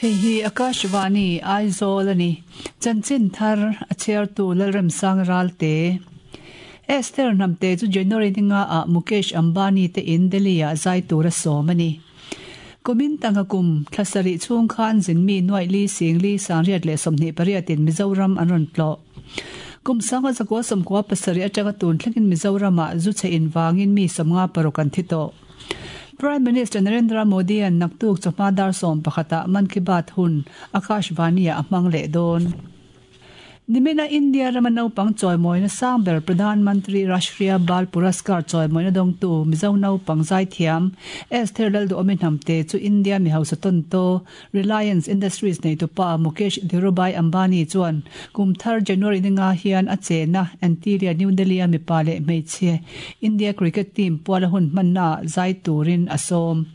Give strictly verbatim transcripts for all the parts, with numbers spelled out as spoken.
Hei hi Akashvani Aizawl ani chanchin thar a chair tu Lalrem Sang Ralte Esther Hnamte chu January ninga a Mukesh Ambani te in Delhi a zai tura sawm ani. Kumin tanga kum thlasari chung khan zinmi nuai li sing li sangriat leh sawmhnih pariatin Mizoram an rawn tlawh. Kum sanga zakua sawmkua pasarih atanga tun thlengin Mizorama zu che in wangin mi sawmnga paruk an thi tawh. Prime Minister Narendra Modi an naktuk chawhma dar sawm pakhata Mann Ki Baat hun Akashvani a hmang leh dawn. Nimina India rama naupang chawimawina sang ber Pradhan Mantri Rashtriya Bal Puraskar chawimawina dawngtu Mizo naupang zaithiam Esther Lalduhawmi Hnamte chu India mi hausa tawnto Reliance Industries neitupa Mukesh Dhirubhai Ambani chuan kum thar January ninga hian a chena Antilia New Delhi a mipa leh hmeichhe India cricket team puala hun hmanna zai turin a sawm.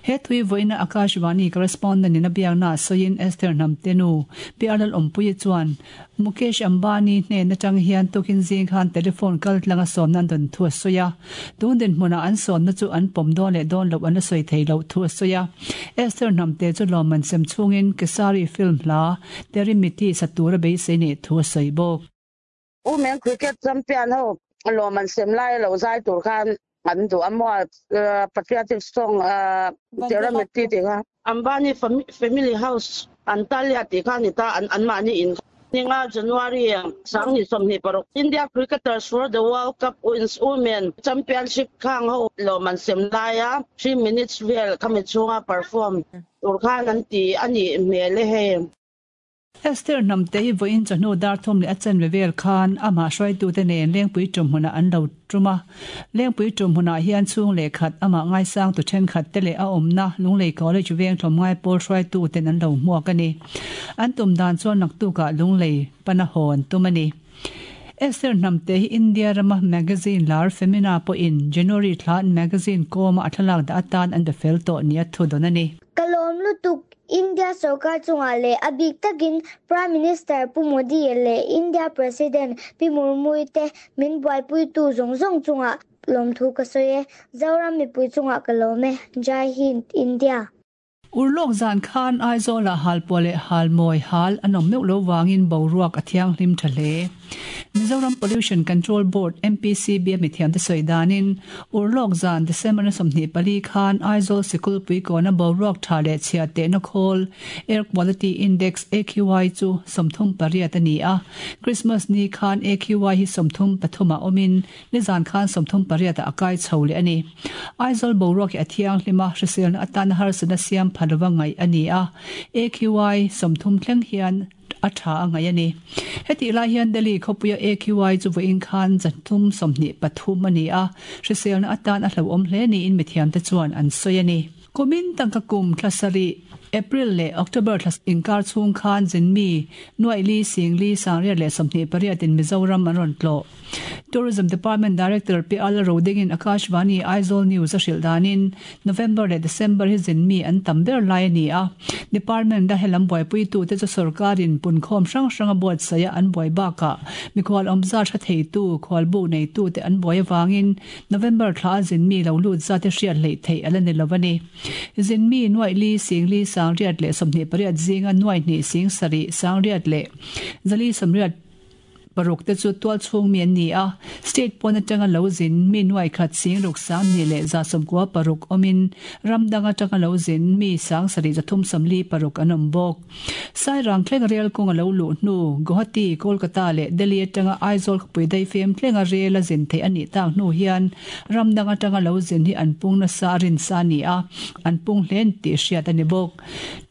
He thui voina Akashvani correspondent in a biakna soin Esther Hnamte nu P R Lal Awmpuii chuan Mukesh Ambani hne na tang hian tukin zing khan telephone kal tlanga sawm nan don thu soya tun din hmuna an sawm na chu an pawm dawn leh dawn lo an la sawi thei lo thu soya Esther Hnamte chu lawmman sem chungin Kesari film hla Terimiti satura beisei nei thu sawi bawk. Women cricket champion ho lawmman sem lai lo zai tur khan an du amwa patriotic song Terimiti ti kha Ambani family house Antalya ti kha ni ta an an mani in Ninga January sang ni somni parok India cricketers for the World Cup wins Women Championship khang ho loman sem laia three minutes vel khami chunga perform tur khan an ti ani mele he. Esther Hnamte hi voin chawhnu dar thum leh a chen vevel khan ama hruaitu te nen lengpui tum hmuna an lo tuma lengpui tum hmuna hian chhung leh khat ama ngaisang tu then khat te leh a awmna Lunglei College veng thawm ngai pawl hruaitu ten an lo hmuak ani. An tum dan chuan naktukah Lunglei pana hawn tum ani. Esther Hnamte hi India rama magazine lar Femina pawh in January thla magazine kawma a thlalak dah atan an be fel tawh ni a thu dawn ani. Kalawm lutuk India sarkar chunga leh a bik takin Prime Minister Pu Modi leh India President Pi Murmu te min buaipui tu zawng zawng chunga lawmthu ka sawi e. Zoram mipui chunga ka lawm e. Jai Hind India. Urlawk zan khan Aizawl ah halpawh leh halmawi hal an awm meuh lo wangin boruak a thianghlim tha hle. Mizoram Pollution Control Board M P C B a mithiam te sawi danin Urlawk zan December na sawmhnih pali khan Aizawl sikul puikawna boruak tha leh chhia tehna khawl Air Quality Index A Q I chu sawmthum pariat ani a. Christmas ni khan A Q I hi sawmthum pathum a awmin ni zan khan sawmthum pariat a akai chho leh ani. Aizawl boruak hi a thianghlima hriselna atan harsatna siam phalova ngai ani a. A Q I sawmthum thleng hian a tha a ngai ani. Heti lai hian Delhi khawpuia A Q I chu vawiin khan zathum sawmhnih pathum ani a. Hriselna atan a hlo awm hle niin mithiam te chuan an sawi ani. Kumin tangka kum thlasari April leh October thlas inkar chhung khan zinmi nuai li sing li sangriat leh sawmhnih pariatin Mizoram an rawn tlawh. Tourism Department Director P L Rodingin Akashvani Aizawl News a hrilh danin November leh December hi zinmi an tam ber lai ani a. Department a helam buaipui tu te chu sarkarin punkhawm hrang hrang a buat saia an buai bakah mikhual awmza tha thei tu khual bu nei tu te an buai awangin November thla zinmi lo lut za te hriat hlei thei ala ni lo ani. Zinmi nuai li sing li sangriat leh sawmhnih pariat zinga nuai hnih sing sarih sangriat leh zali sawmriat paruk te chu tual chhung mi an ni a. State pawn atanga lo zin mi nuai khat sing ruk sang ni leh za sawmkua paruk awmin ramdang atanga lo zin mi sang sarih zathum sawmli paruk an awm bawk. Sairang thleng rel kawng a lo luh hnu Guwahati, Kolkata leh Delhi atanga Aizawl khawpui daifem thlenga rel a zin theih anih tak hnu hian ramdang atanga lo zin hi an pung nasa a rin sa ani a. An pung hlen tih hriat ani bawk.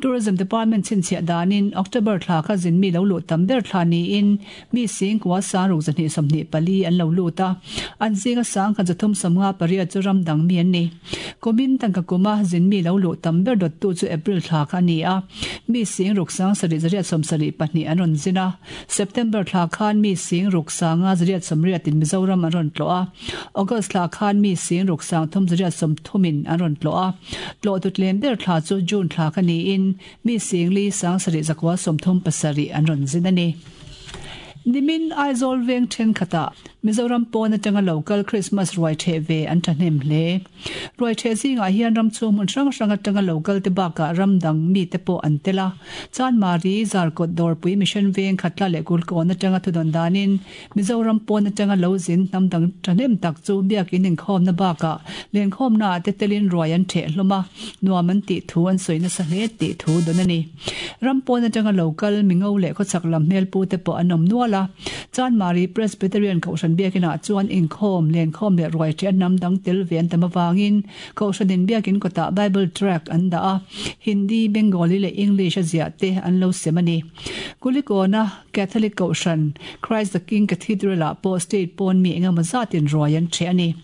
Tourism Department chhinchhiah danin October thla kha zin mi lo luh tam ber thla niin mi sing kwa sang ruk zahnih sawmhnih pali an lo lut a. An zinga sang khat zathum sawmnga pariat chu ramdang mi an ni. Kumin tangka kuma zin mi lo luh tam ber dawt tu chu April thla kha ani a. Mi sing ruk sang sarih zariat sawmsarih pahnih an rawn zin a. September thla khan mi sing ruk sanga zariat sawmriatin Mizoram an rawn tlawh a. August thla khan mi sing ruk sang thum zariat sawmthumin an rawn tlawh a. Tlawh tutlem ber thla chu June thla kha niin mi sing li sang sarih zakua sawmthum pasarih an rawn zin ani. Nimin Aizawl veng thenkhatah Mizoram pawn atanga local Christmas ruai the ve an thahnem hle. Ruai the zingah hian ram chhung hmun hrang hrang atanga local te bakah ram dang mi te pawh an tel a. Chanmari Zarkawt Dawrpui Mission Veng Khatla leh Kulkawn atanga thudawn danin Mizoram pawn atanga lo zin hnam dang thahnem tak chu biakin inkhawmna bakah lenkhawmna te telin ruai an the hlawm a, nuam an tih thu an sawi nasa hle tih thu dawn a ni. Ram pawn atanga local mingo leh khawchhak lam hmel pu te pawh an awm nual a. Chanmari Presbyterian Kohhran biakinah chuan inkhawm lenkhawm leh ruai the an hnam dang tel ve an tam avangin Kohhranin biakin kawtah Bible tract an dah a, Hindi, Bengali leh English a ziah te an lo sem a ni. Kulikawna Catholic Kohhran Christ the King Cathedral ah pawh state pawn mi engemaw zatin ruai an the a ni.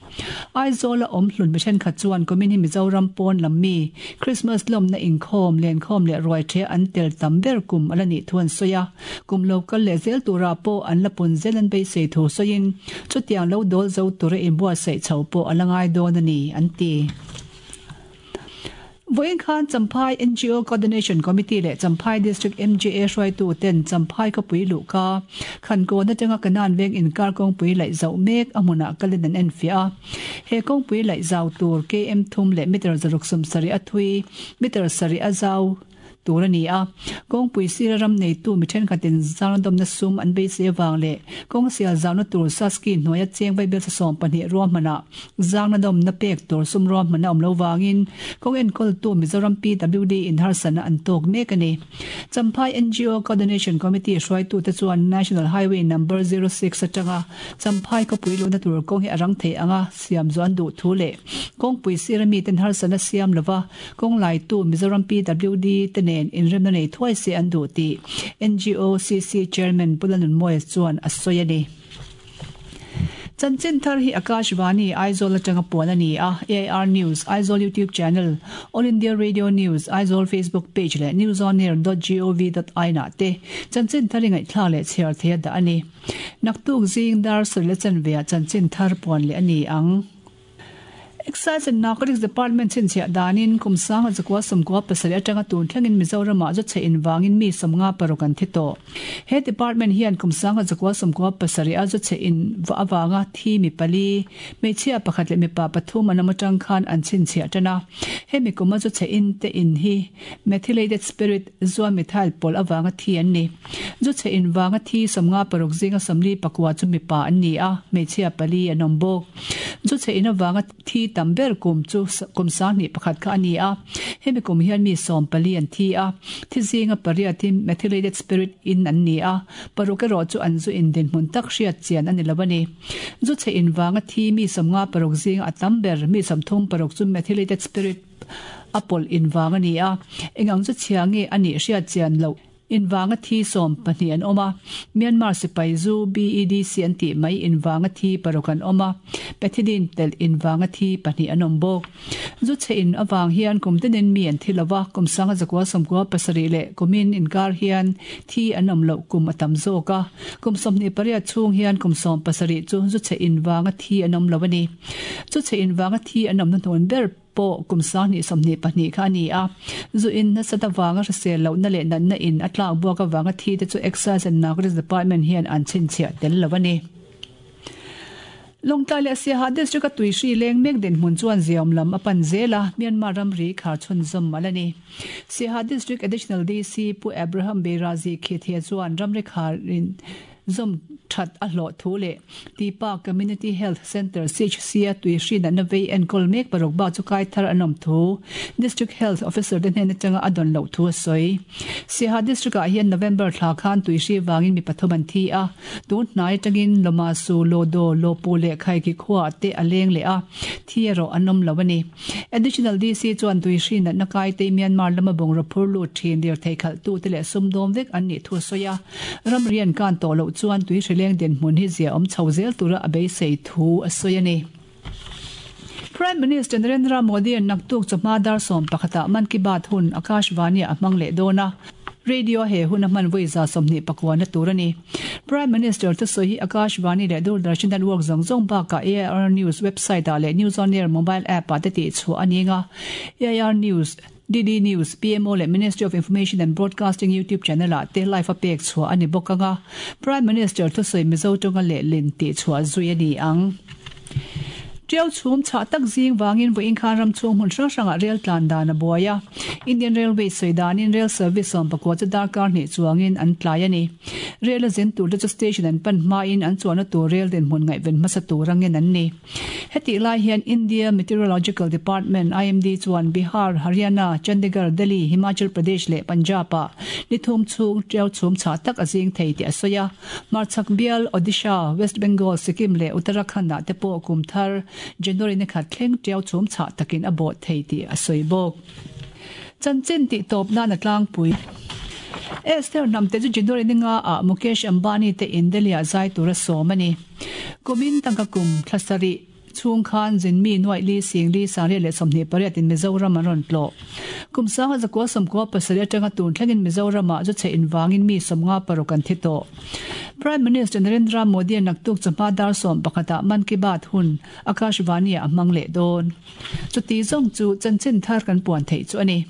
Aizawl a awm hlun mi thenkhat chuan kumin hi Mizoram pawn lam mi Christmas lawmna inkhawm lenkhawm leh ruai the an tel tam ber kum a la nih thu an sawi a. Kum local leh zel turah pawh an la pun zel an beisei thu sawiin chutiang lo dawl zo tura inbuatsaih chho pawh a la ngai dawn a ni an ti. Vawiin khan Champhai N G O Coordination Committee leh Champhai District M J A hruaitu ten Champhai khawpui luhka Khankawn atanga Kanan veng inkar kawngpui laih zauh mek a hmunah kalin an enfiah a. He kawngpui laih zau tur K M thum leh meter zaruk sawm sarih a thui, meter sarih a zau tur a ni a. Kawngpui sira ram neitu mi thenkhatin zangdawmna sum an beisei awang leh kawng sial zauna tur Saski hnuaia cheng vaibel sawm pahnih ruahmanah zangdawmna pek tur sum ruahmana awm lo wangin kawng enkawltu Mizoram P W D in harsana an tawk mek a ni. Champhai N G O Coordination Committee hruaitu te chuan National Highway number zero six atanga Champhai khawpui luhna tur kawng hi a rang thei anga siam chu an duh thu leh kawngpui sira mi ten harsana siam lova kawng laitu Mizoram P W D te nen inremna nei thuai se an duh tih N G O C C Chairman Pulanun Moyes chuan a sawi a ni. Chanchin thar hi Akashvani Aizawl atanga puan a ni a. A I R News, Aizawl YouTube channel, All India Radio News, Aizawl Facebook page leh newsonair dot gov dot in ah te chanchin thar ingaih thla leh chhiar thei a dah a ni. Naktuk zing dar sarih le chanve ah chanchin thar puan leh a ni ang. Excise and Narcotics Department chinchhiah danin kum sanga zakua sawmkua pasarih atanga tun thlengin Mizoramah zu chhe inwangin mi sawmnga paruk an thi tawh. He department hian kum sanga zakua sawmkua pasarih a zu chhe in awanga thi mi pali, hmeichhia pakhat leh mipa pathum an awm atang khan an chhinchhiah tan a. Hemi kum a zu chhe in te in hi methylated spirit zuan methyl pawl awanga thi an ni. Zu chhe inwanga thi sawmnga paruk zinga sawmli pakua chu mipa an ni a, hmeichhia pali an awm bawk. Zu chhe in awanga thi tam ber kum chu kum sang ni pakhat kha ani a. Hemi kum hian mi sawm pali an thi a. Thi zinga pariat hi methylated spirit in an ni a. Paruk erawh chu an zu in din hmun tak hriat chian ani lo a ni. Zu chhe inwanga thi mi sawmnga paruk zinga a tam ber mi sawmthum paruk chu methylated spirit a pawl inwang ani a. Engang chu chhia nge ani hriat chian lo inwanga thi sawm pahnih an awm a. Myanmar sipai zu B E D C an tih mai inwanga thi paruk an awm a. Pethidine tel inwanga thi pahnih an awm bawk. Zu chhe in awang hian kum tinin mi an thi lova, kum sanga zakua sawmkua pasarih leh kumin inkar hian thi an awm loh kum a tam zawk a. Kum sawmhnih pariat chhung hian kum sawm pasarih chu zu chhe inwanga thi an awm lo a ni. Zu chhe inwanga thi an awmna hnuan ber pawh kum sang hnih sawmhnih pahnih kha a ni a. Zu in nasa ta wanga hrisel lohna leh natna in a tlak buak awanga thi te chu Excise and Narcotics Department hian an chhinchhiah tel lo a ni. Lawngtlai leh Siaha District a tuihri leng mek din hmun chuan ziam lam a pan zel a, Myanmar ramri khar chhun zawm ala ni. Siaha District Additional D C Pu Abraham Beirazi Khithia chuan ramri kharin zawm that a hlawh thu leh Tipa Community Health Center C H C a tuihri natna vei enkawl mek paruk ba chu kai thar an awm thu District Health Officer te hnen atanga a dawn loh thu a sawi. Siaha District ah hian November thla khan tuihri wangin mi pathum an thi a. Tun hnai atangin Loma Su Lodo Lopu leh Khaiki khuah te a leng leh a, thi erawh an awm lo a ni. Additional D C chuan tuihri natna kai te Myanmar lama bungraw phur lut thin dir thei khalh tu te leh sumdawm vek an nih thu a sawi a. Ramri an kan tawh loh chuan tuihri leng den hmun hi zia awm chho zel tura a beisei thu a sawi a ni. Prime Minister Narendra Modi an naktuk chawhma dar sawm pakhatah Mann Ki Baat hun Akashvani a hmang leh dawn a. Radio he hun a hman vawi za sawmhnih pakuana tur a ni. Prime Minister te sawi hi Akashvani leh Doordarshan Network zawng zawng bakah A I R News website ah leh News on Air mobile app ah te tih chhuah a ni nga. A I R News D D News, P M O leh Ministry of Information and Broadcasting YouTube channel-ah te live a pek chhuah a ni bawk anga Prime Minister thusawi Mizo tawnga lehlin tih chhuah zui a ni ang. Tiau chhum chhah tak zing wangin vawiin khan ram chhung hmun hrang hrangah rail tlan dan a buai a. Indian Railways sawi danin rail service sawm pakua chu darkar hnih chuangin an tlai a ni. Rail a zin tur te chu station an pan hmain an chuanna tur rail dinhmun ngaihven hmasa tur angin an ni. Heti lai hian India Meteorological Department I M D chuan Bihar, Haryana, Chandigarh, Delhi, Himachal Pradesh leh Punjab ah nithum chhung tiau chhum chhah tak a zing thei tih a sawi a. Marchhak Bial, Odisha, West Bengal, Sikkim leh Uttarakhand ah te pawh kum thar January ni khat thleng tiau chhum chhah takin a bawh thei tih a sawi bawk. Chanchin tih tawp nan a tlangpui. Esther hnam te chu January ni nga ah Mukesh Ambani te in Delhi ah zai tur a sawm a ni. Kumin tangka kum thlasarih chhung khan zinmi nuaih li sing li sangriat leh sawmhnih pariat in Mizoram an rawn tlawh. Kum sanga zakua sawmkua pasarih atanga tun thlengin Mizoram ah chu chhe invangin mi sawmnga paruk an thi tawh. Prime Minister Narendra Modi a naktuk chawhma dar sawm pakhatah Mann Ki Baat hun Akashvani ah a hmang leh dawn. Chuti zawng chu chanchin thar kan puan theih chu a ni.